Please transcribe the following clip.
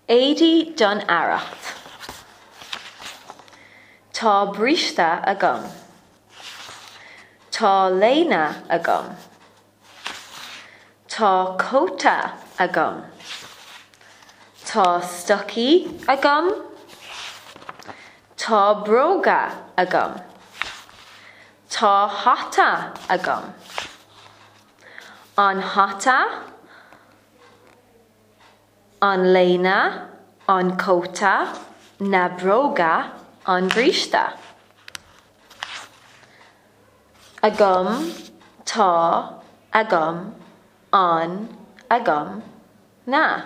Éadaí don earrach. Tá bríste agam. Tá léine agam. Tá cóta agam. Tá stocaí agam. Tá bróga agam. Tá hata agam. An hata, an léine, an cóta, na bróga, an bríste. Agam, tá, agam, an, agam, na.